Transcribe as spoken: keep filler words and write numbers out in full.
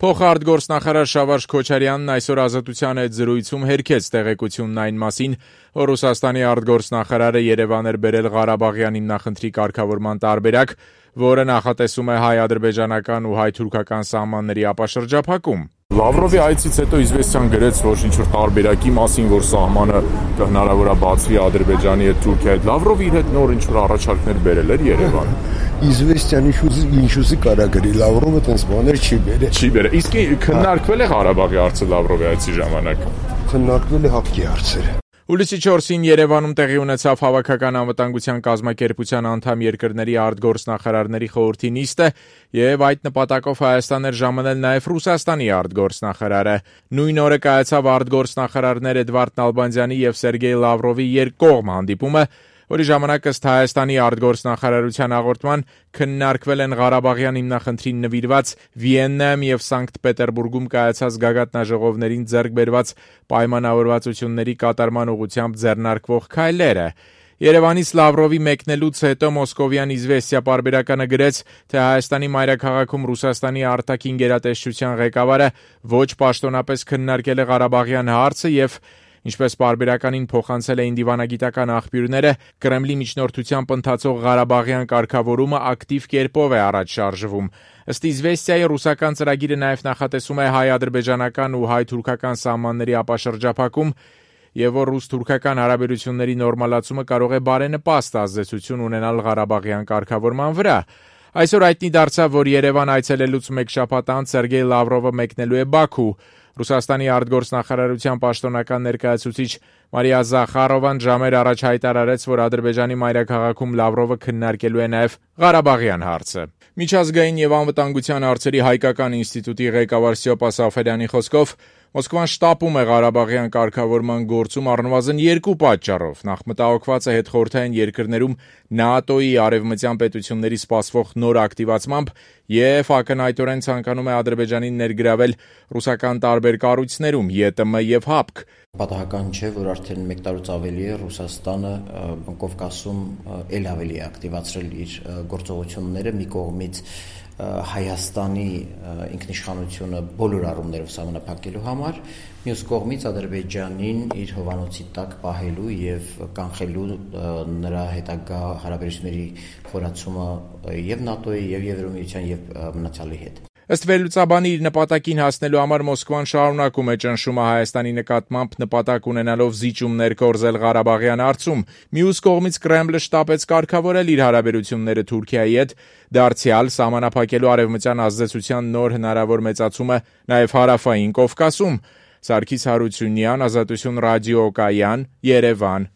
Փոխարտգործնախարար Շավարժ Քոչարյանն այսօր Ազատության հետ զրույցում հերքեց տեղեկությունն այն մասին, որ Ռուսաստանի արտգործնախարարը Երևան էր բերել Ղարաբաղյան հիմնախնդրի կարգավորման տարբերակ, որը նախատեսում է հայ-ադրբեջանական ու հայ-թուրքական սահմանների ապաշրջափակում։ Լավրովի այցից հետո Իզվեստիան գրեց, որ ինչ-որ տարբերակի մասին, որ սահմանը հնարավոր է բացվի Ադրբեջանի հետ Թուրքիայի հետ։ Լավրովը իր հետ նոր ինչ-որ առաջարկներ բերել էր Երևան։ Իզվեստիան ինչ-ուզի կարա գրի, Լավրովը տենց բաներ չի բերել։ Չի բերել։ Իսկ քննարկվել է Ղարաբաղի հարցը Լավրովի այցի ժամանակ։ Քննարկվել է հապկի հարցերը։ Հուլիսի չորսին Երևանում տեղի ունեցավ Հավաքական անվտանգության կազմակերպության անդամ երկրների արտգործնախարարների խորհրդի նիստը, եւ այդ նպատակով Հայաստան էր ժամանել նաեւ Ռուսաստանի արտգործնախարարը։ Նույն օրը կայացավ արտգործնախարարներ Էդվարդ Նալբանդյանի եւ Սերգեյ Լավրովի երկկողմ հանդիպումը, որի ժամանակ ըստ Հայաստանի արտգործնախարարության հաղորդման քննարկվել են Ղարաբաղյան հիմնախնդրին նվիրված Վիեննայում եւ Սանկտ Պետերբուրգում կայացած գագաթնաժողովներին ձեռք բերված պայմանավորվածությունների կատարման ուղղությամբ ձեռնարկվող քայլերը։ Երևանից Լավրովի մեկնելուց հետո Մոսկովյան Իզվեստիա պարբերականը գրեց, թե Հայաստանի մայրաքաղաքում Ռուսաստանի արտաքին գերատեսչության ղեկավարը ոչ պաշտոնապես քննարկել է Ղարաբաղյան հարցը եւ ինչպես պարբերականին փոխանցել էին դիվանագիտական աղբյուրները, Կրեմլի միջնորդությամբ ընթացող Ղարաբաղյան կարգավորումը ակտիվ կերպով է առաջ շարժվում։ Ըստ Իզվեստիայի ռուսական ծրագիրը նաև նախատեսում է հայ-ադրբեջանական ու հայ-թուրքական սահմանների ապաշրջափակում, եւ որ ռուս-թուրքական հարաբերությունների նորմալացումը կարող է բարենպաստ ազդեցություն ունենալ Ղարաբաղյան կարգավորման վրա։ Այսօր հայտնի դարձավ, որ Երևան այցելելուց մեկ շաբաթ անց Սերգեյ Լավրովը մեկնելու է Բաքու։ Ռուսաստանի արտգործնախարարության պաշտոնական ներկայացուցիչ Մարիա Զախարովան ժամեր առաջ հայտարարեց, որ Ադրբեջանի մայրաքաղաքում Լավրովը քննարկելու է նաև Ղարաբաղյան հարցը։ Միջազգային եւ անվտանգության հարցերի հայկական ինստիտուտի ղեկավար Ստյոպա Սաֆարյանի խոսքով Մոսկվան շտապում է Ղարաբաղյան կարգավորման գործում առնվազն երկու պատճառով։ Նախ մտահոգված է հետխորհրդային երկրներում ՆԱՏՕ-ի արևմտյան պետությունների սպասվող նոր ակտիվացմամբ եւ ակնհայտորեն ցանկանում է Ադրբեջանին ներգրավել ռուսական տարբեր կառույցներում՝ ԵՏՄ եւ ՀԱՊԿ։ Պատահական չէ, որ արդեն մեկ տարուց ավելի է Ռուսաստանը Կովկասում ել ավելի է ակտիվացրել իր գործողությունները մի կողմից Հայաստանի ինքնիշխանությունը բոլոր առումներով սահմանափակելու համար, մյուս կողմից Ադրբեջանին իր հովանոցի տակ պահելու եւ կանխելու նրա հետագա հարաբերությունների խորացումը եւ ՆԱՏՕ-ի եւ Եվրոմիության եւ մնացյալի հետ։ Ըստ վերլուծաբանի իր նպատակին հասնելու համար Մոսկվան շարունակում է ճնշումը Հայաստանի նկատմամբ նպատակ ունենալով զիջումներ կորզել Ղարաբաղյան հարցում։ Մյուս կողմից Կրեմլը շտապեց կարգավորել իր հարաբերությունները Թուրքիայի հետ, դարձյալ սահմանափակելու արևմտյան ազդեցության նոր հնարավոր մեծացումը նաև հարավային Կովկասում։ Սարգիս Հարությունյան, Ազատություն ռադիոկայան, Երևան։